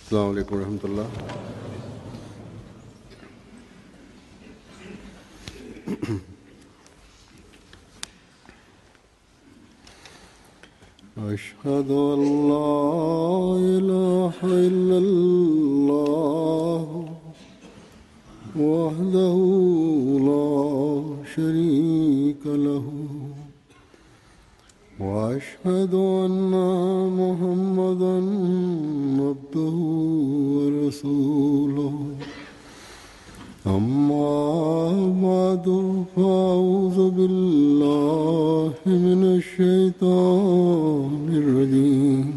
Assalamu alaikum wa rahmatullah. أشهد أن لا إله إلا الله وحده لا شريك له وأشهد أن محمدا عبده ورسوله أما بعد فأعوذ بالله من الشيطان الرجيم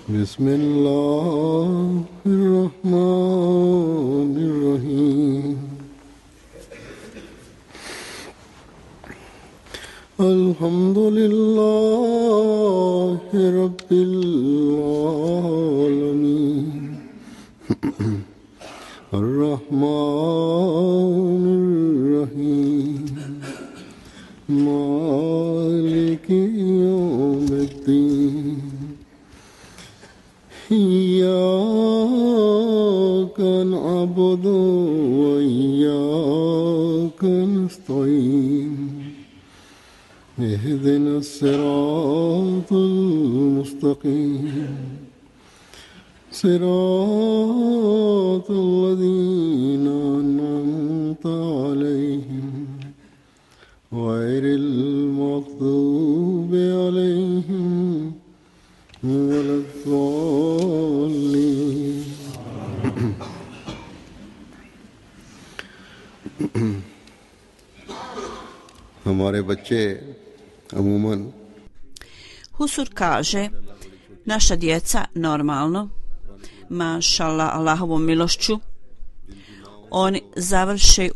بسم الله الرحمن الرحيم الحمد لله رب العالمين الرحمن الرحيم مالك يوم الدين إياك نعبد وإياك نستعين اهدنا الصراط المستقيم صراط الذين أنعمت عليهم غير المغضوب عليهم ولا الضالين हमारे बच्चे अमूमन Husur kaže, naša djeca normalno, mašallah, Allahovom milošću, oni završe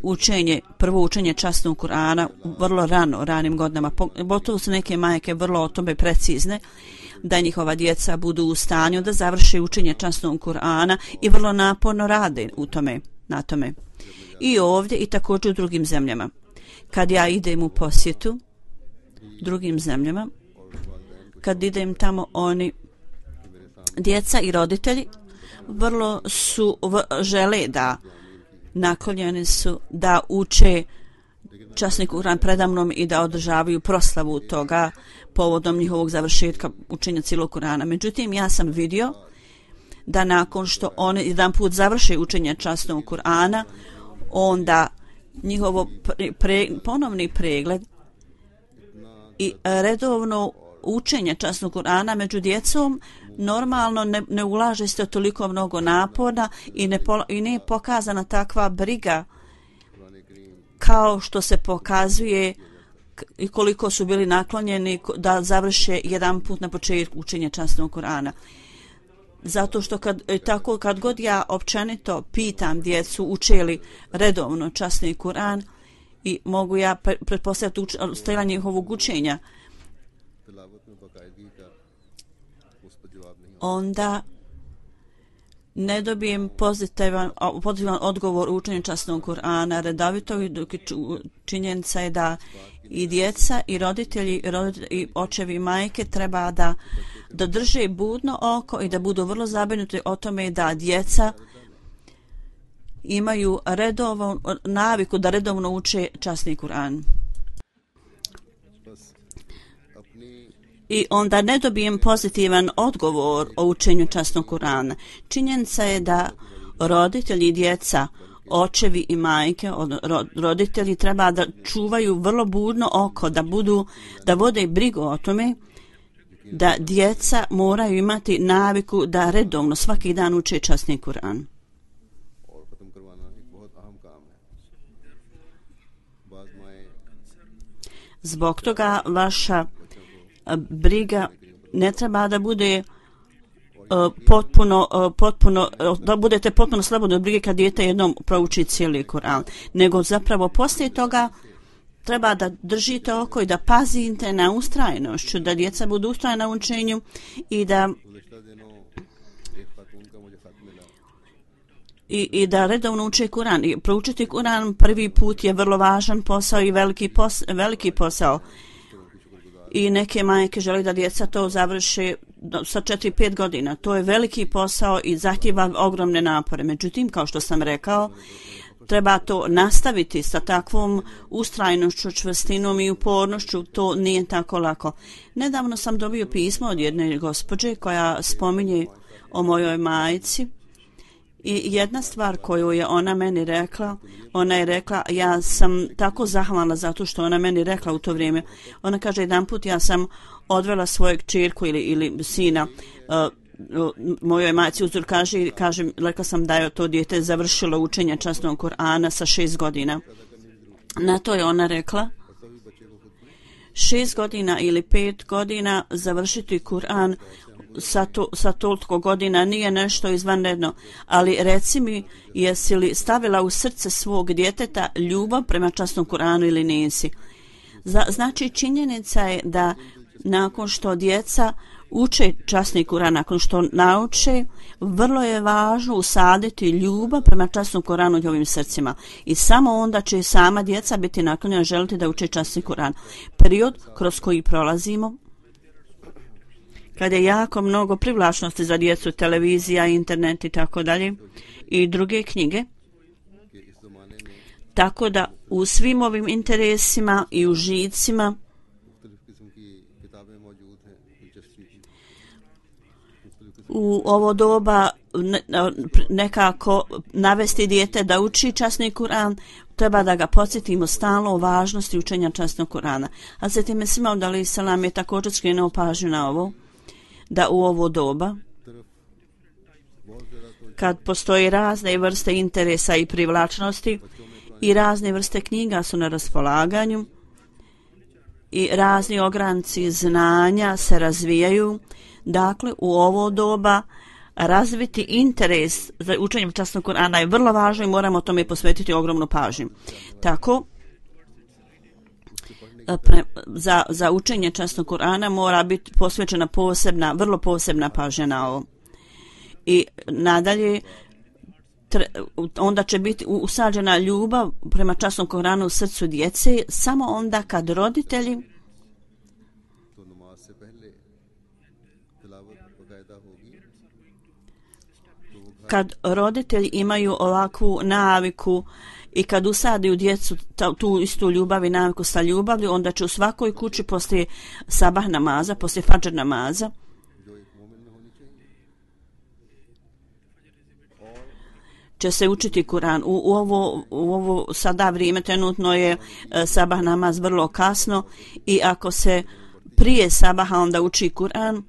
prvo učenje časnog Kur'ana vrlo ranim godinama, pogotovo su neke majke vrlo o tome precizne, da njihova djeca budu u stanju da završe učenje časnog Kur'ana i vrlo naporno rade na tome. I ovdje i također u drugim zemljama. Kad ja idem u posjetu drugim zemljama, kad idem tamo, oni, djeca i roditelji, vrlo su žele da naklonjeni su da uče časni Kur'an predamnom i da održavaju proslavu toga povodom njihovog završetka učenja cijelog Kur'ana. Međutim, ja sam vidio da nakon što oni jedan put završe učenje časnog Kur'ana, onda njihovo ponovni pregled i redovno učenje časnog Kur'ana među djecom normalno ne ulaže se toliko mnogo napora i ne je pokazana takva briga kao što se pokazuje i koliko su bili naklonjeni da završe jedan put na početku učenja časnog Kur'ana. Zato što kad god ja općenito pitam djecu uče li redovno časni Kur'an i mogu ja pretpostaviti stajanje njihovog učenja, onda ne dobijem pozitivan odgovor u učenju časnog Kur'ana redovito, dok činjenica je da i djeca i roditelji i očevi i majke treba da drže budno oko i da budu vrlo zabrinuti o tome da djeca imaju naviku da redovno uče časni Kur'an. I onda ne dobijem pozitivan odgovor o učenju časnog Kur'ana. Činjenica je da roditelji i djeca, očevi i majke, roditelji treba da čuvaju vrlo budno oko, da vode brigu o tome da djeca moraju imati naviku da redovno svaki dan uče časni Kur'an. Zbog toga vaša briga ne treba da bude potpuno da budete potpuno slobodni od brige kad dijete jednom prouči cijeli Kur'an, nego zapravo poslije toga treba da držite oko i da pazite na ustrajnošću, da djeca budu ustrajna u učenju i da redovno uče Kur'an. I proučiti Kur'an prvi put je vrlo važan posao i veliki posao. i neke majke žele da djeca to završe sa 4-5 godina. To je veliki posao i zahtijeva ogromne napore. Međutim, kao što sam rekao, treba to nastaviti sa takvom ustrajnošću, čvrstinom i upornošću, to nije tako lako. Nedavno sam dobio pismo od jedne gospođe koja spominje o mojoj majci i jedna stvar koju je ona meni rekla, ona je rekla, ja sam tako zahvalna zato što ona meni rekla u to vrijeme. Ona kaže, jedan put ja sam odvela svojeg čirku ili sina mojoj majci uzor kaže, rekla sam da je to dijete završilo učenje časnog Kur'ana sa 6 godina. Na to je ona rekla, 6 godina ili 5 godina završiti Kur'an sa toliko godina nije nešto izvanredno, ali reci mi, jesi li stavila u srce svog djeteta ljubav prema časnom Kur'anu ili nisi? Znači činjenica je da nakon što djeca uče časni Kur'an, nakon što nauče, vrlo je važno usaditi ljubav prema časnom Kur'anu u njihovim srcima. I samo onda će sama djeca biti naklonjena želiti da uče časni Kur'an. Period kroz koji prolazimo, kada je jako mnogo privlačnosti za djecu, televizija, internet i tako dalje, i druge knjige, tako da u svim ovim interesima i užicima u ovo doba nekako navesti dijete da uči časni Kur'an, treba da ga podsjetimo stalno o važnosti učenja časnog Kur'ana. A zatim je Mesih Maud alejhi selam je također skrenuo pažnju na ovo, da u ovo doba, kad postoji razne vrste interesa i privlačnosti i razne vrste knjiga su na raspolaganju i razni ogranci znanja se razvijaju, dakle u ovo doba razviti interes za učenje časnog Kur'ana je vrlo važno i moramo tome posvetiti ogromnu pažnju. Tako, za učenje časnog Kur'ana mora biti posvećena vrlo posebna pažnja na ovo. I nadalje, onda će biti usađena ljubav prema časnom Kur'anu u srcu djece samo onda kad roditelji imaju ovakvu naviku i kad usadi u djecu tu istu ljubav i naviku sa ljubavlju, onda će u svakoj kući poslije sabah namaza, poslije fadžr namaza će se učiti Kur'an. U ovo sada vrijeme trenutno je sabah namaz vrlo kasno i ako se prije sabaha onda uči Kur'an,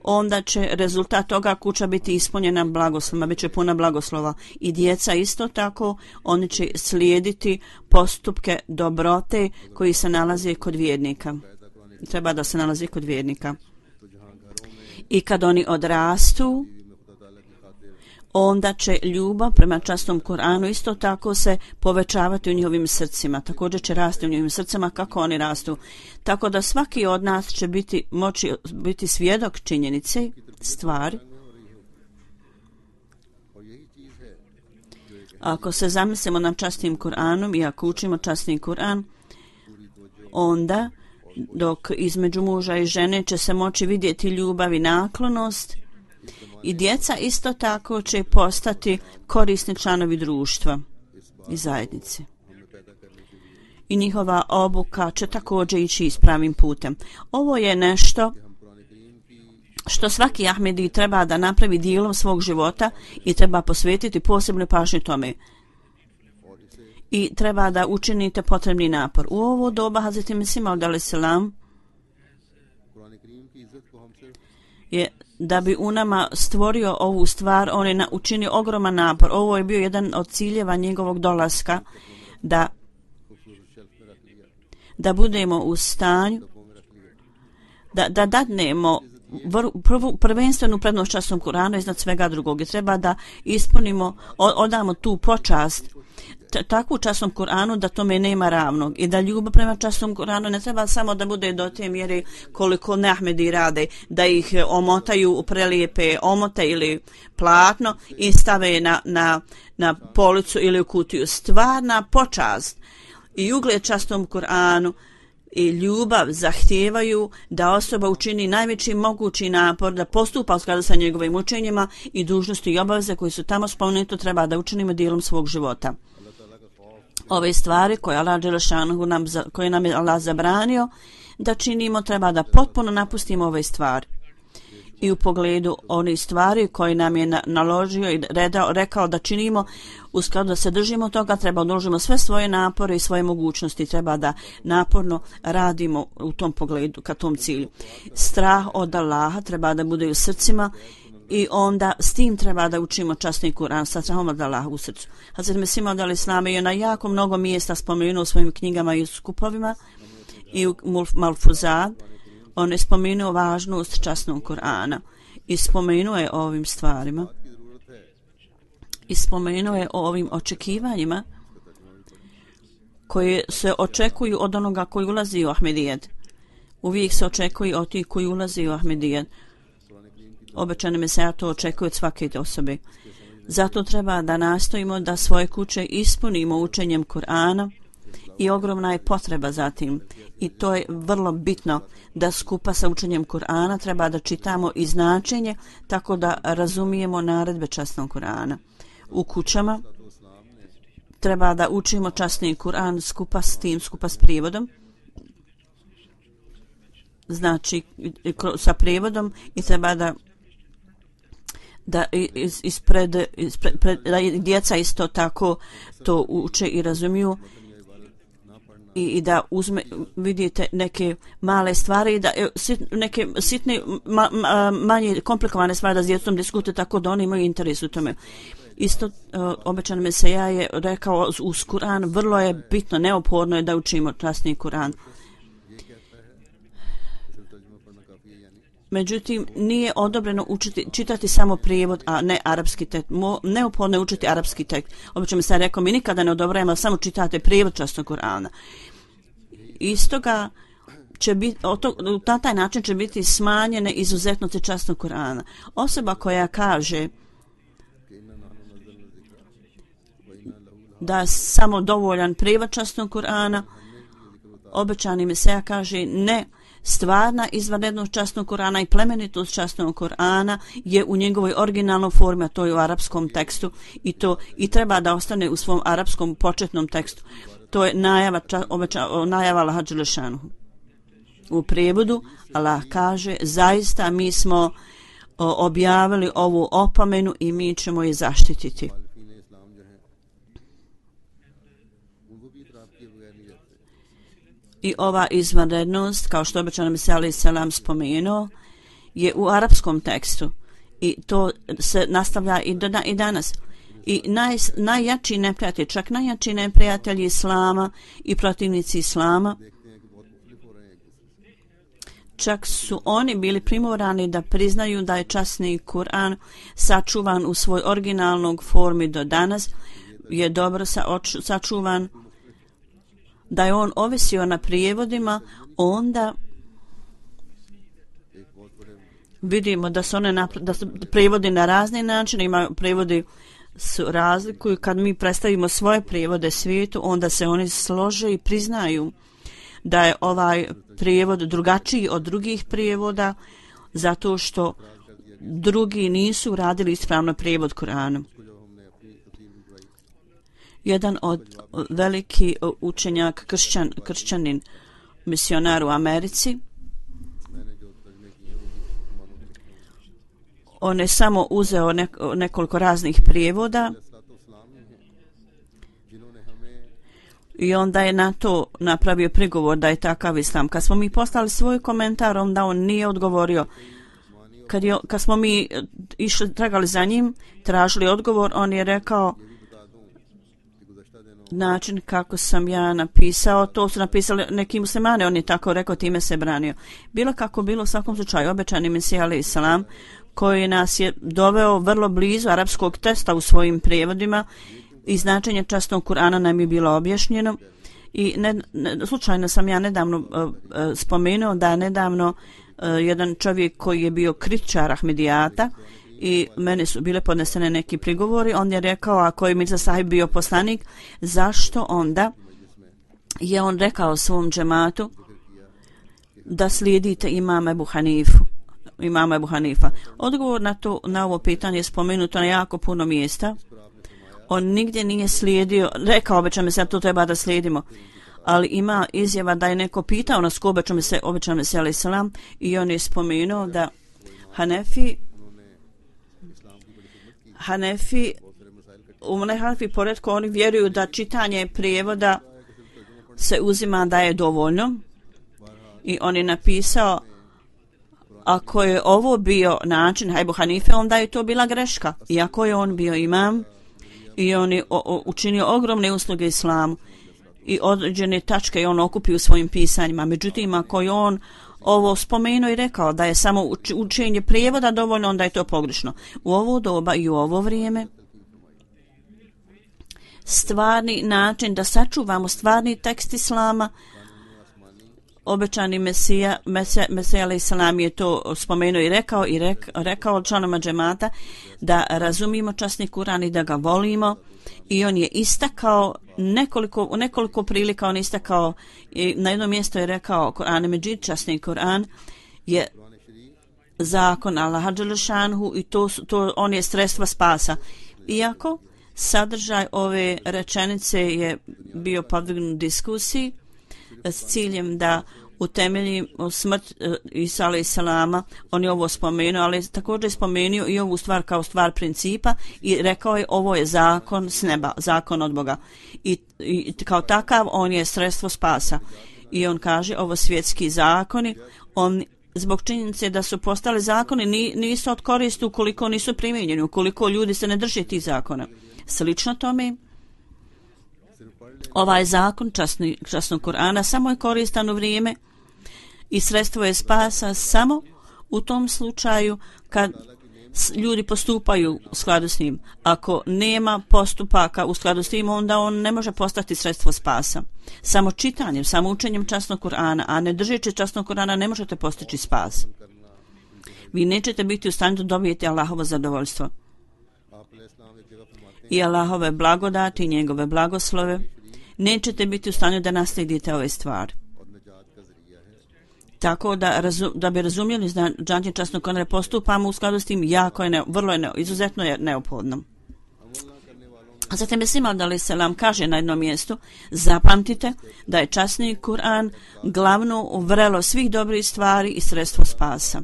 onda će rezultat toga kuća biti ispunjena blagoslovima, bit će puna blagoslova. I djeca isto tako, oni će slijediti postupke dobrote koji se nalaze kod vjernika. Treba da se nalazi kod vjernika. I kad oni odrastu, onda će ljubav prema časnom Kur'anu isto tako se povećavati u njihovim srcima. Također će rasti u njihovim srcima kako oni rastu. Tako da svaki od nas će moći biti svjedok činjenice, stvari. Ako se zamislimo nad časnim Kur'anom i ako učimo časni Kur'an, onda dok između muža i žene će se moći vidjeti ljubav i naklonost, i djeca isto tako će postati korisni članovi društva i zajednice. I njihova obuka će također ići ispravnim putem. Ovo je nešto što svaki Ahmedi treba da napravi dijelom svog života i treba posvetiti posebnu pažnju tome. I treba da učinite potrebni napor. U ovo doba Hazreti Mesih Maud alejhi selam je da bi u nama stvorio ovu stvar, on je učinio ogroman napor. Ovo je bio jedan od ciljeva njegovog dolaska, da budemo u stanju da dadnemo prvenstvenu prednost časnom Kur'anu iznad svega drugog. I treba da ispunimo, odamo tu počast takvu časnom Kur'anu da tome nema ravnog i da ljubav prema časnom Kur'anu ne treba samo da bude do te mjere koliko Ahmedi rade, da ih omotaju u prelijepe omote ili platno i stave na policu ili u kutiju. Stvarna počast i ugled časnom Kur'anu i ljubav zahtijevaju da osoba učini najveći mogući napor da postupa u skladu sa njegovim učenjima i dužnosti i obaveze koji su tamo spomenuti treba da učinimo dijelom svog života. Ove stvari koje nam je Allah zabranio da činimo treba da potpuno napustimo ove stvari. I u pogledu onih stvari koje nam je naložio i rekao da činimo, u skladu da se držimo toga, treba odložimo sve svoje napore i svoje mogućnosti, treba da naporno radimo u tom pogledu, ka tom cilju. Strah od Allaha treba da bude u srcima i onda s tim treba da učimo časni Kur'an, sa strahom od Allaha u srcu. Hazret Mesih Maud alejhi selam je na jako mnogo mjesta spomenuo u svojim knjigama i skupovima i u Malfuzat. On je spomenuo važnost časnog Kur'ana i spomenuo je o ovim stvarima i spomenuo je o ovim očekivanjima koje se očekuju od onoga koji ulazi u Ahmedijet. Uvijek se očekuju od tih koji ulazi u Ahmedijet. Obećane Meseja to očekuje od svake osobe. Zato treba da nastojimo da svoje kuće ispunimo učenjem Kur'ana i ogromna je potreba za tim. I to je vrlo bitno da skupa sa učenjem Kur'ana treba da čitamo i značenje tako da razumijemo naredbe časnog Kur'ana. U kućama treba da učimo časni Kur'an skupa s tim, skupa s prijevodom. Znači sa prijevodom i treba da djeca isto tako to uče i razumiju i da vidite neke male stvari, da neke sitne, manje komplikovane stvari da s djecom diskutuje tako da oni imaju interes u tome. Isto obećan Meseja je rekao uz Kur'an vrlo je bitno, neophodno je da učimo časni Kur'an. Međutim, nije odobreno čitati samo prijevod, a ne arapski tekst. Neophodno je učiti arapski tekst. Obično mi se rekao, mi nikada ne odobrajamo, samo čitate prijevod časnog Kur'ana. Istoga će biti, na taj način će biti smanjene izuzetnosti časnog Kur'ana. Osoba koja kaže da je samo dovoljan prijevod časnog Kur'ana, obećani Meseja kaže ne. Stvarna izvanrednost časnog Kur'ana i plemenitost časnog Kur'ana je u njegovoj originalnoj formi, a to je u arapskom tekstu i treba da ostane u svom arapskom početnom tekstu. To je najava Allaha dželle šanuhu. U prijevodu Allah kaže zaista mi smo objavili ovu opomenu i mi ćemo je zaštititi. I ova izvanrednost, kao što obećano Mesija alejhi selam spomenuo, je u arapskom tekstu i to se nastavlja i danas. I najjači neprijatelji, čak najjači neprijatelji Islama i protivnici Islama, čak su oni bili primorani da priznaju da je časni Kur'an sačuvan u svoj originalnog formi do danas, je dobro sačuvan, da je on ovisio na prijevodima, onda vidimo da su da su prijevodi na razne načine, imaju prijevodi su razlikuju. Kad mi predstavimo svoje prijevode svijetu, onda se oni slože i priznaju da je ovaj prijevod drugačiji od drugih prijevoda, zato što drugi nisu radili ispravno prijevod Kur'ana. Jedan od veliki učenjak kršćanin misionar u Americi, on je samo uzeo nekoliko raznih prijevoda i onda je na to napravio prigovor da je takav islam. Kad smo mi poslali svoj komentar, onda on nije odgovorio. Kad smo mi išli, tragali za njim, tražili odgovor, on je rekao način kako sam ja napisao, to su napisali neki muslimani, on je tako rekao, time se branio. Bilo kako bilo, u svakom slučaju, obećani Mesija alejhi selam, koji nas je doveo vrlo blizu arapskog teksta u svojim prijevodima i značenje časnog Kur'ana nam je bilo objašnjeno. I slučajno sam ja nedavno spomenuo da je nedavno jedan čovjek koji je bio kritičar Ahmedijata i meni su bile podnesene neki prigovori, on je rekao, ako je Mirza Sahib bio poslanik, zašto onda je on rekao svom džematu da slijedite imama Ebu Hanifa? Odgovor na ovo pitanje je spomenuto na jako puno mjesta. On nigdje nije slijedio, rekao obećam se, to treba da slijedimo, ali ima izjava da je neko pitao nas ko obećam se alaih salam, i on je spomenuo da Hanefi poredko oni vjeruju da čitanje prijevoda se uzima da je dovoljno, i on je napisao ako je ovo bio način Ebu Hanife, onda je to bila greška, iako je on bio imam i on je učinio ogromne usluge islamu i određene tačke je on okupio u svojim pisanjima. Međutim, ako je on ovo spomenuo i rekao da je samo učenje prijevoda dovoljno, onda je to pogrešno. U ovo doba i u ovo vrijeme stvarni način da sačuvamo stvarni tekst islama, obećani Mesija alaih salam je to spomenuo i rekao članoma džemata da razumijemo časni Kur'an i da ga volimo, i on je istakao u nekoliko prilika on istakao, i na jednom mjestu je rekao Kur'an Međid, časni Kur'an je zakon Allaha dželešanhu i to on je sredstva spasa. Iako sadržaj ove rečenice je bio podvrgnut diskusiji s ciljem da utemelji smrt Isa alaih salama, on je ovo spomenuo, ali također je spomenuo i ovu stvar kao stvar principa i rekao je ovo je zakon s neba, zakon od Boga, i kao takav on je sredstvo spasa. I on kaže ovo svjetski zakoni, on zbog činjenice da su postali zakoni nisu od koristi ukoliko nisu primijenjeni, ukoliko ljudi se ne drže tih zakona. Slično tome, ovaj zakon časnog Kur'ana samo je koristan u vrijeme i sredstvo je spasa samo u tom slučaju kad ljudi postupaju u skladu s njim. Ako nema postupaka u skladu s njim, onda on ne može postati sredstvo spasa. Samo čitanjem, samo učenjem časnog Kur'ana, a ne držeći časnog Kur'ana, ne možete postići spas. Vi nećete biti u stanju da dobijete Allahovo zadovoljstvo i Allahove blagodati i njegove blagoslove. Nećete biti u stanju da naslijedite ove stvari. Tako da bi razumjeli značenje časnog Kur'ana, postupamo u skladu s tim, izuzetno je neophodno. A zatim je Mesija alaih salam kaže na jednom mjestu, zapamtite da je časni Kur'an glavno vrelo svih dobrih stvari i sredstvo spasa.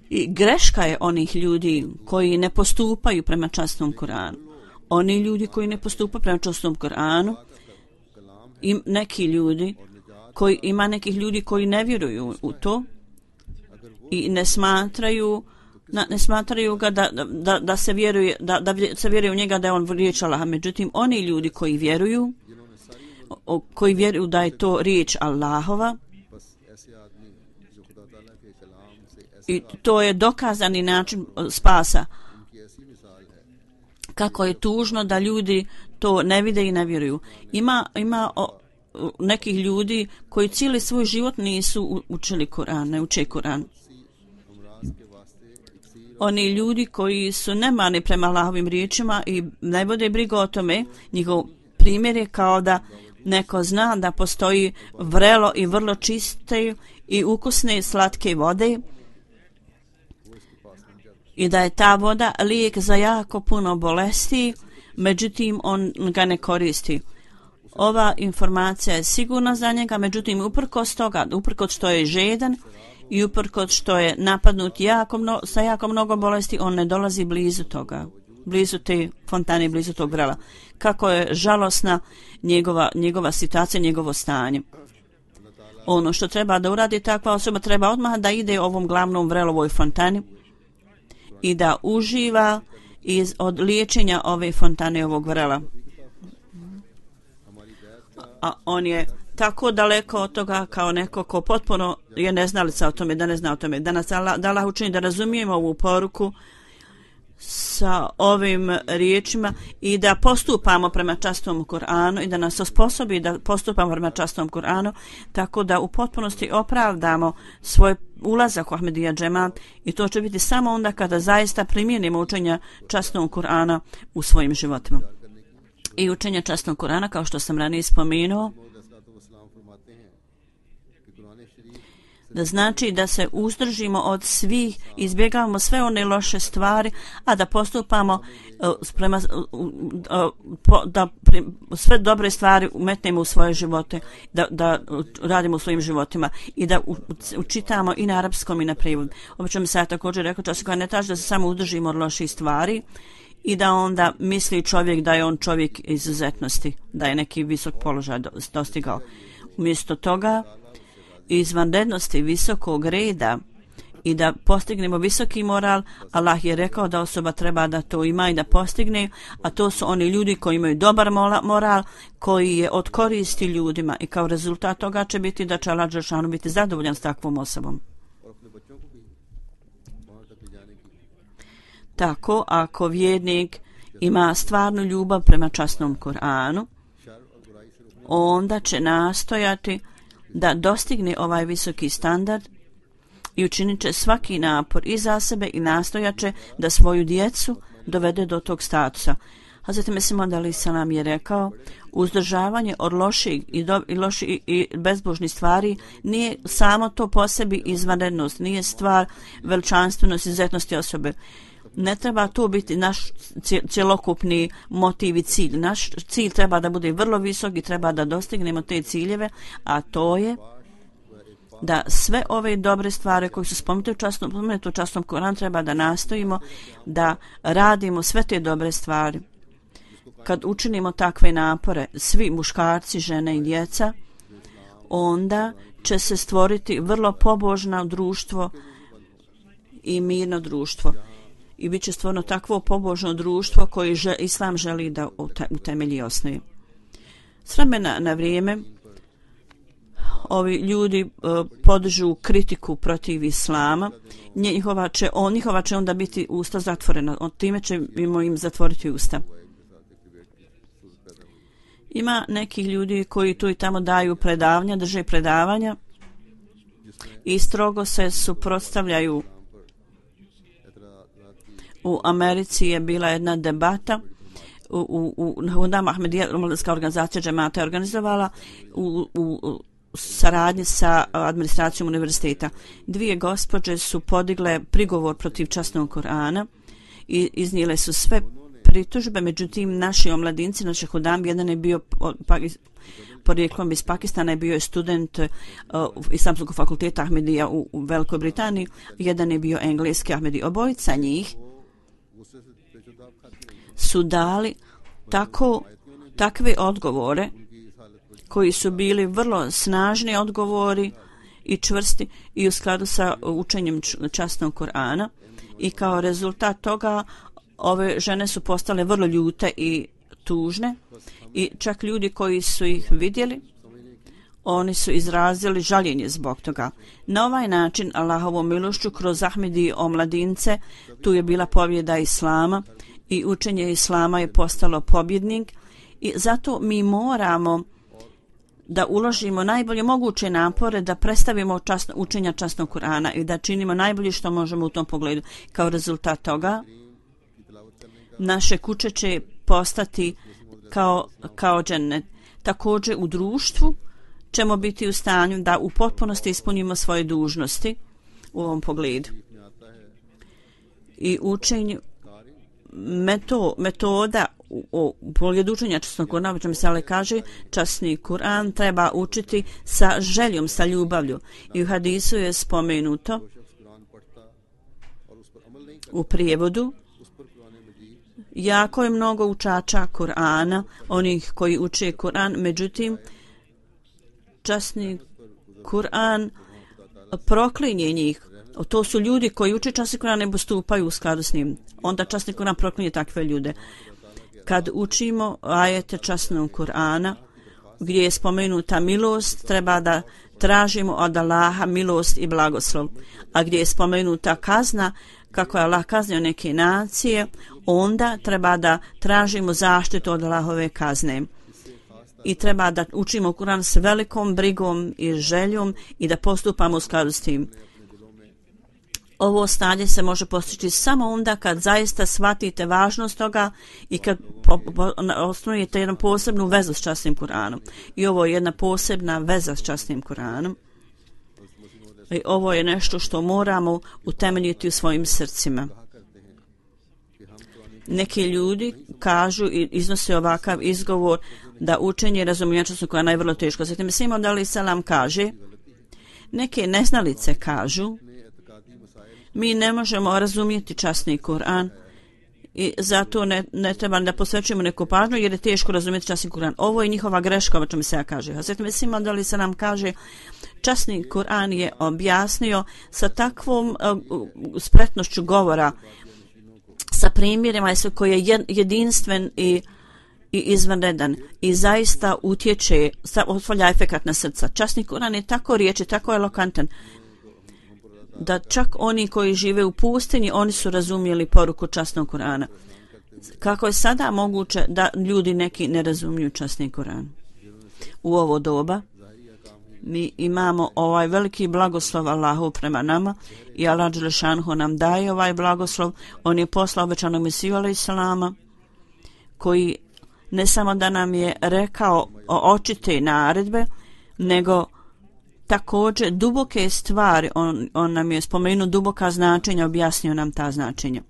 I greška je onih ljudi koji ne postupaju prema časnom Kur'anu. Oni ljudi koji ne postupaju prema časnom Kur'anu, i ima nekih ljudi koji ne vjeruju u to i ne smatraju ga da se vjeruje u njega, da je on riječ Allaha. Međutim, oni ljudi koji vjeruju da je to riječ Allahova, i to je dokazani način spasa. Kako je tužno da ljudi to ne vide i ne vjeruju. Ima nekih ljudi koji cijeli svoj život nisu učili Kur'an, ne uče Kur'an. Oni ljudi koji su nemani prema Allahovim riječima i ne vode brigu o tome, njihov primjer je kao da neko zna da postoji vrelo i vrlo čiste i ukusne slatke vode i da je ta voda lijek za jako puno bolesti, međutim on ga ne koristi. Ova informacija je sigurna za njega, međutim uprkos toga, uprkos što je žedan i uprkos što je napadnut sa jako mnogo bolesti, on ne dolazi blizu toga, blizu te fontane, blizu tog vrela. Kako je žalosna njegova situacija, njegovo stanje. Ono što treba da uradi takva osoba, treba odmah da ide ovom glavnom vrelovoj fontani i da uživa od liječenja ove fontane, ovog vrela. A on je tako daleko od toga kao neko ko potpuno je neznalica o tome, da ne zna o tome. Da nas Allah učini da razumijemo ovu poruku sa ovim riječima i da postupamo prema častom Kur'anu i da nas osposobi da postupamo prema častom Kur'anu, tako da u potpunosti opravdamo svoj ulazak u Ahmedija džemat, i to će biti samo onda kada zaista primijenimo učenja časnog Kur'ana u svojim životima. I učenje časnog Kur'ana, kao što sam ranije spomenuo, znači da se uzdržimo od svih, izbjegavamo sve one loše stvari, a da postupamo da sve dobre stvari umetnemo u svoje živote, da radimo u svojim životima i da učitamo i na arapskom i na prijevodu. Obično mi se ja također rekao čas koja ne traži da se samo uzdržimo od loših stvari i da onda misli čovjek da je on čovjek izuzetnosti, da je neki visok položaj dostigao. Umjesto toga izvanrednosti visokog reda i da postignemo visoki moral, Allah je rekao da osoba treba da to ima i da postigne, a to su oni ljudi koji imaju dobar moral, koji je od koristi ljudima i kao rezultat toga će biti da će Allah dželešanu biti zadovoljan s takvom osobom. Tako, ako vjernik ima stvarnu ljubav prema časnom Kur'anu, onda će nastojati da dostigne ovaj visoki standard i učinit će svaki napor i za sebe i nastojaće da svoju djecu dovede do tog statusa. Hazreti Mesih Maud alejhi selam je rekao, uzdržavanje od loših i bezbožnih stvari nije samo to po sebi izvanrednost, nije stvar veličanstvenosti, izuzetnosti osobe. Ne treba to biti naš cjelokupni motiv i cilj. Naš cilj treba da bude vrlo visok i treba da dostignemo te ciljeve, a to je da sve ove dobre stvari koje su spomenute u časnom Kur'anu treba da nastojimo da radimo sve te dobre stvari. Kad učinimo takve napore, svi muškarci, žene i djeca, onda će se stvoriti vrlo pobožno društvo i mirno društvo. I bit će stvarno takvo pobožno društvo koje Islam želi da utemelji i osnovi. S vremena na vrijeme ovi ljudi podižu kritiku protiv Islama, njihova će onda biti usta zatvorena, od time ćemo im zatvoriti usta. Ima nekih ljudi koji tu i tamo daju predavanja, drže predavanja i strogo se suprotstavljaju. U Americi je bila jedna debata u Hundama Ahmedija, mladinska organizacija džemata je organizovala u saradnji sa administracijom univerziteta. Dvije gospođe su podigle prigovor protiv časnog Kur'ana i iznijele su sve pritužbe, međutim naši omladinci, naši hudam, jedan je bio porijeklom iz Pakistana, je bio je student Islamskog fakulteta Ahmedija u Velikoj Britaniji, jedan je bio engleski Ahmedi. Obojica njih su dali takve odgovore koji su bili vrlo snažni odgovori i čvrsti i u skladu sa učenjem časnog Kur'ana i kao rezultat toga ove žene su postale vrlo ljute i tužne i čak ljudi koji su ih vidjeli, oni su izrazili žaljenje zbog toga. Na ovaj način Allahovom milošću kroz Ahmedi omladince tu je bila pobjeda Islama i učenje Islama je postalo pobjednik i zato mi moramo da uložimo najbolje moguće napore da predstavimo učenja časnog Kur'ana i da činimo najbolje što možemo u tom pogledu. Kao rezultat toga naše kuće će postati kao džennet. Također u društvu ćemo biti u stanju da u potpunosti ispunimo svoje dužnosti u ovom pogledu. I učenje metoda u pogledu učenja časnog Kur'ana, što mi se kaže, časni Kur'an treba učiti sa željom, sa ljubavlju. I u hadisu je spomenuto u prijevodu jako je mnogo učača Kur'ana, onih koji uče Kur'an, međutim časni Kur'an proklinje njih. To su ljudi koji uče časni Kur'an ne postupaju u skladu s njim. Onda časni Kur'an proklinje takve ljude. Kad učimo ajete časnog Kur'ana gdje je spomenuta milost, treba da tražimo od Allaha milost i blagoslov. A gdje je spomenuta kazna, kako je Allah kaznio neke nacije, onda treba da tražimo zaštitu od Allahove kazne. I treba da učimo Kur'an s velikom brigom i željom i da postupamo u skladu s tim. Ovo stanje se može postići samo onda kad zaista shvatite važnost toga i kad osnujete jednu posebnu vezu s časnim Kur'anom. I ovo je jedna posebna veza s časnim Kur'anom. I ovo je nešto što moramo utemeljiti u svojim srcima. Neki ljudi kažu i iznose ovakav izgovor da učenje i razumijevanje časnog Kur'ana je vrlo teško. Zatim Simon alejhi selam kaže, neke neznalice kažu, mi ne možemo razumjeti časni Kur'an i zato ne treba da posvećujemo neku pažnju jer je teško razumjeti časni Kur'an. Ovo je njihova greška, o čemu se ja kaže. Zatim Simon alejhi selam kaže, časni Kur'an je objasnio sa takvom spretnošću govora, sa primjerima koji je jedinstven i izvanredan i zaista utječe, ostavlja efekat na srca. Časni Kur'an je tako riječi, tako elokantan da čak oni koji žive u pustinji, oni su razumjeli poruku časnog Kur'ana. Kako je sada moguće da ljudi neki ne razumiju časni Kur'an? U ovo doba mi imamo ovaj veliki blagoslov Allahu prema nama i Allah dželešanhu nam daje ovaj blagoslov. On je poslao obećanog Mesiju alejselama koji ne samo da nam je rekao očite naredbe, nego također duboke stvari. On nam je spomenuo duboka značenja, objasnio nam ta značenja.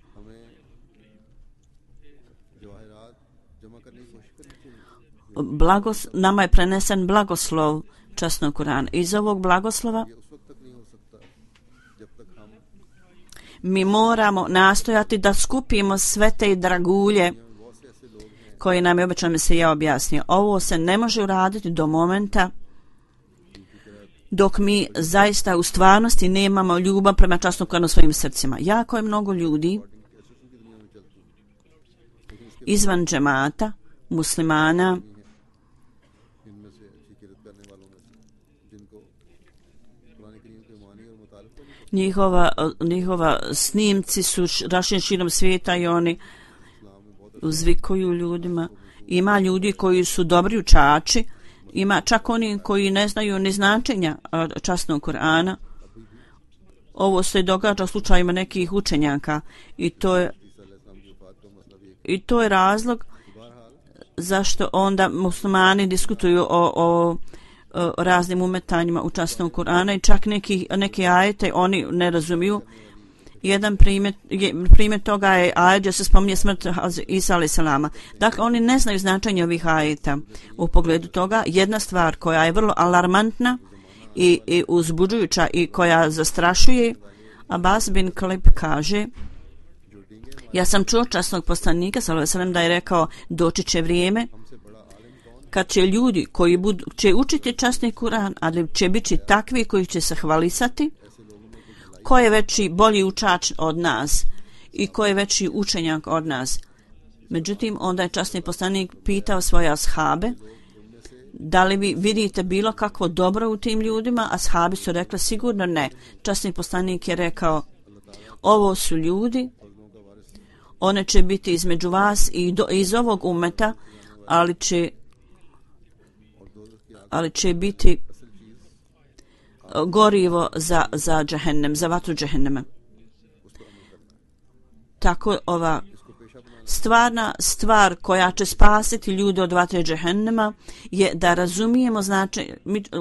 Nama je prenesen blagoslov časnog Kur'ana. Iz ovog blagoslova mi moramo nastojati da skupimo sve te dragulje koje nam je obećan Mesija objasnio. Ovo se ne može uraditi do momenta dok mi zaista u stvarnosti nemamo ljubav prema časnom Kur'anu u svojim srcima. Jako je mnogo ljudi izvan džemata, muslimana, njihova snimci su rašireni širom svijeta i oni uzvikuju ljudima. Ima ljudi koji su dobri učači, ima čak oni koji ne znaju ni značenja časnog Kur'ana. Ovo se događa u slučajima nekih učenjaka i to je razlog zašto onda muslimani diskutuju o raznim umetanjima u časnog Kur'ana i čak neke ajete oni ne razumiju. Jedan primjer toga je ajet gdje se spominje smrt Isa alejselama. Dakle, oni ne znaju značenje ovih ajeta. U pogledu toga, jedna stvar koja je vrlo alarmantna i uzbuđujuća i koja zastrašuje, Abbas bin Kalib kaže, ja sam čuo časnog poslanika sallallahu alejhi ve sellem da je rekao, doći će vrijeme kad će ljudi koji će učiti časni Kur'an, ali će biti takvi koji će se hvalisati, ko je veći bolji učač od nas i ko je veći učenjak od nas. Međutim, onda je časni poslanik pitao svoje ashabe, da li vi vidite bilo kakvo dobro u tim ljudima? Ashabi su rekli, sigurno ne. Časni poslanik je rekao, ovo su ljudi, one će biti između vas i iz ovog umeta, ali će biti gorivo za džehennem, za vatru džehennema. Tako ova stvarna stvar koja će spasiti ljude od vatre džehennema je da razumijemo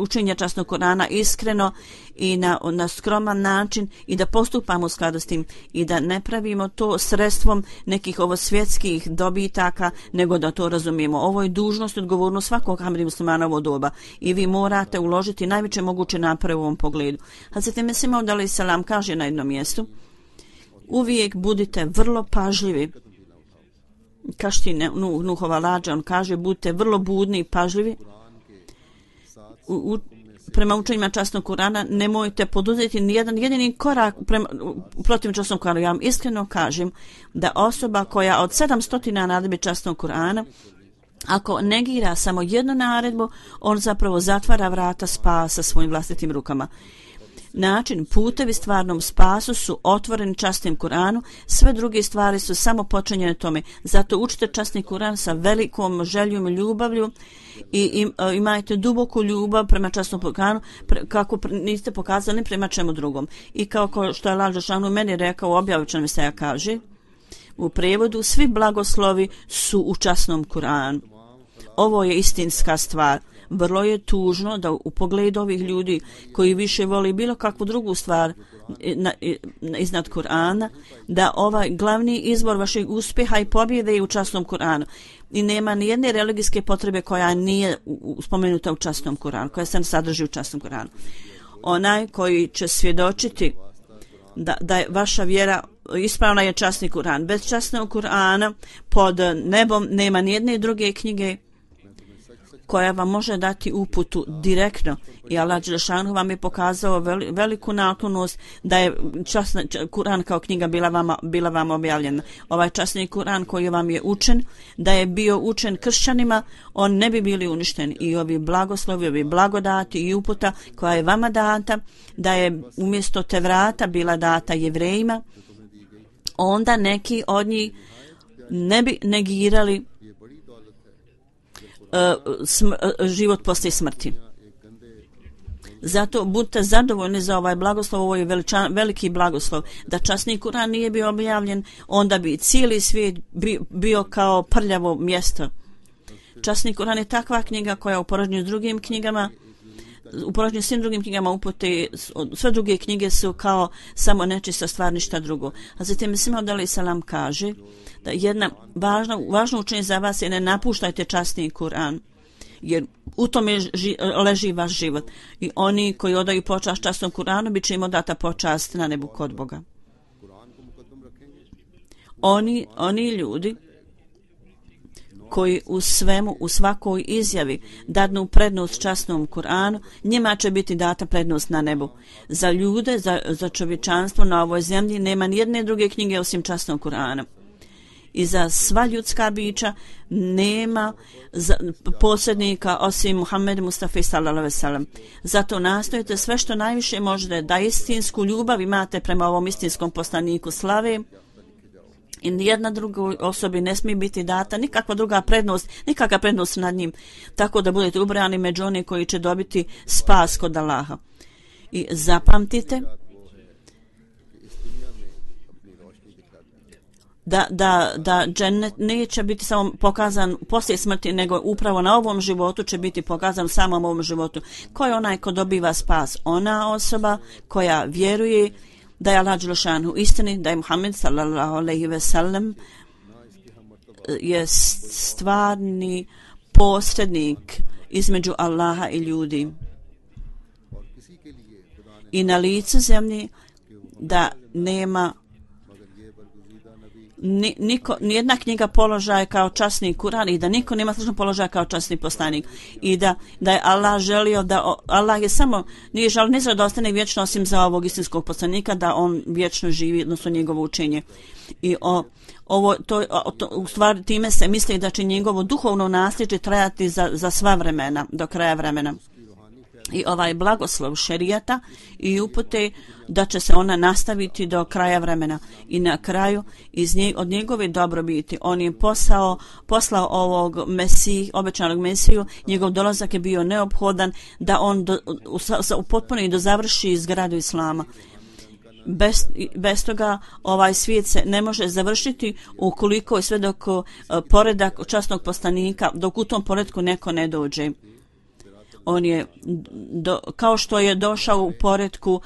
učenje časnog Kur'ana iskreno i na skroman način i da postupamo u skladu s tim i da ne pravimo to sredstvom nekih svjetskih dobitaka, nego da to razumijemo. Ovo je dužnost i odgovornost svakog hamdi muslimana u ovo doba i vi morate uložiti najveće moguće napore u ovom pogledu. Hazreti Mesih Maud alejselam kaže na jednom mjestu, uvijek budite vrlo pažljivi. Kašti Nuhova lađa, on kaže, budite vrlo budni i pažljivi. Prema učenjima časnog Kur'ana nemojte poduzeti ni jedan jedini korak protiv časnog Kur'ana. Ja vam iskreno kažem da osoba koja od 700 naredbi časnog Kur'ana, ako negira samo jednu naredbu, on zapravo zatvara vrata spasa svojim vlastitim rukama. Način, putevi stvarnom spasu su otvoreni časnim Kur'anu, sve druge stvari su samo počinjene tome. Zato učite časni Kur'an sa velikom željom i ljubavlju i imajte duboku ljubav prema časnom Kur'anu kako niste pokazali prema čemu drugom. I kao što je Allah dželešanu meni rekao u objavi Mesija kaže, u prevodu svi blagoslovi su u časnom Kur'anu. Ovo je istinska stvar. vrlo je tužno da u pogledu ovih ljudi koji više voli bilo kakvu drugu stvar iznad Kur'ana, da ovaj glavni izbor vašeg uspjeha i pobjede je u časnom Kur'anu. I nema ni jedne religijske potrebe koja nije spomenuta u časnom Kur'anu, koja se sadrži u časnom Kur'anu. Onaj koji će svjedočiti da je vaša vjera ispravna je časni Kur'an. Bez časnog Kur'ana pod nebom nema ni jedne druge knjige koja vam može dati uputu direktno. I Allah dželešanu vam je pokazao veliku naklonost da je Kur'an kao knjiga bila vama objavljena. Ovaj časni Kur'an koji vam je učen, da je bio učen kršćanima, on ne bi bili uništeni. I ovi blagoslovi, ovi blagodati i uputa koja je vama data, da je umjesto Tevrata bila data Jevrejima, onda neki od njih ne bi negirali život poslije smrti. Zato budite zadovoljni za ovaj blagoslov, ovo je veliki blagoslov. Da časni Kur'an nije bio objavljen, onda bi cijeli svijet bio kao prljavo mjesto. Časni Kur'an je takva knjiga koja u poređenju s drugim knjigama, u poređenju s svim drugim knjigama upute, sve druge knjige su kao samo nečista stvar, ništa drugo. A zatim Mesih alejhi selam kaže da jedna važno učenje za vas je ne napuštajte časni Kur'an, jer u tome leži vaš život. I oni koji odaju počast časnom Kur'anu bit će im odata počast na nebu kod Boga. Oni ljudi koji u svemu, u svakoj izjavi dadnu prednost časnom Kur'anu, njima će biti data prednost na nebu. Za ljude, za čovječanstvo na ovoj zemlji nema ni jedne druge knjige osim časnog Kur'ana. I za sva ljudska bića nema posrednika osim Muhammed Mustafa sallallahu alejhi ve sellem. Zato nastojite sve što najviše možete da istinsku ljubav imate prema ovom istinskom poslaniku slave. I nijedna druga osobi ne smije biti data nikakva druga prednost, nikakva prednost nad njim. Tako da budete ubrojani među one koji će dobiti spas kod Allaha. I zapamtite da džennet neće biti samo pokazan poslije smrti, nego upravo na ovom životu će biti pokazan samom ovom životu. Ko je onaj ko dobiva spas? Ona osoba koja vjeruje da je Allah dželešanu istini, da je Muhammed sallallahu alejhi ve sellem je stvarni posrednik između Allaha i ljudi. I na licu zemlji da nema nijedna knjiga položaja kao časni Kur'an i da niko nema slično položaja kao časni poslanik. I da je Allah želio da Allah je samo nije želio ne da ostane vječno osim za ovog istinskog poslanika, da on vječno živi, odnosno njegovo učenje. I u stvari time se misli da će njegovo duhovno nasljeđe trajati za sva vremena, do kraja vremena. I ovaj blagoslov šerijata i upute da će se ona nastaviti do kraja vremena. I na kraju od njegove dobrobiti on je poslao ovog obećanog Mesiju. Njegov dolazak je bio neophodan da on potpuno i dozavrši izgradu Islama. Bez toga ovaj svijet se ne može završiti ukoliko sve dok poredak časnog poslanika, dok u tom poredku neko ne dođe. On je, kao što je došao u poredku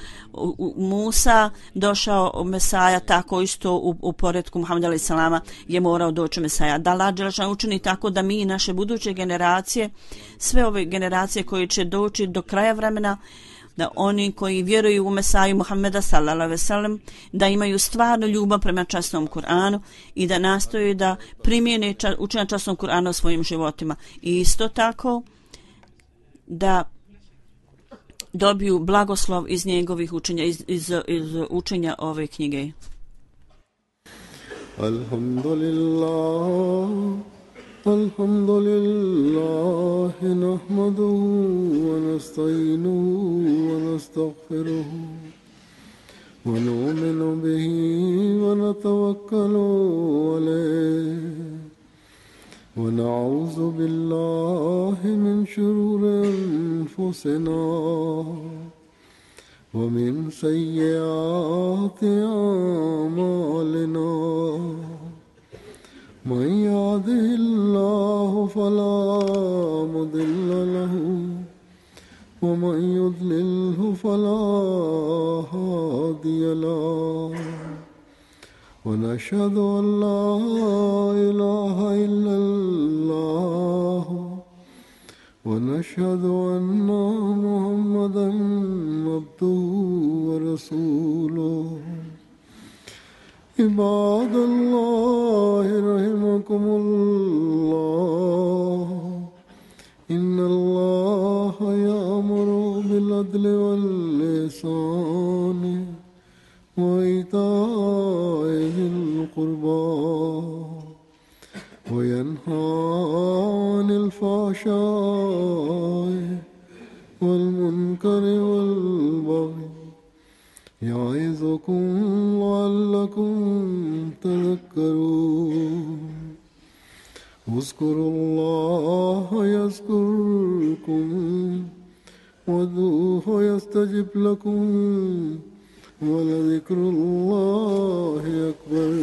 Musa, došao Mesaja, tako isto u poredku Muhameda alejhi selama je morao doći Mesaja. Da Allah dželešanu učini tako da mi i naše buduće generacije, sve ove generacije koje će doći do kraja vremena, da oni koji vjeruju u Mesaju Muhameda sallallahu alejhi ve sellem, da imaju stvarnu ljubav prema časnom Kur'anu i da nastoje da primijene učenje časnom Kur'ana u svojim životima. I isto tako da dobiju blagoslov iz njegovih učenja, iz učenja ove knjige. Alhamdulillah, nahmaduhu wa nasta'inuhu wa nastaghfiruhu wa nu'minu bihi wa natawakkalu alayhi. ونعوذ بالله من شرور أنفسنا ومن سيئات أعمالنا من يهده الله فلا مضل له ومن يضلله فلا هادي له ونشهد أن لا إله إلا الله ونشهد أن محمدا عبده ورسوله عباد الله رحمكم الله إن الله يأمر بالعدل والإحسان وإيتاء ذي القربى وينهى عن الفحشاء والمنكر والبغي يعظكم لعلكم تذكرون اذكروا الله يذكركم وادعوه يستجب لكم ولذكر الله أكبر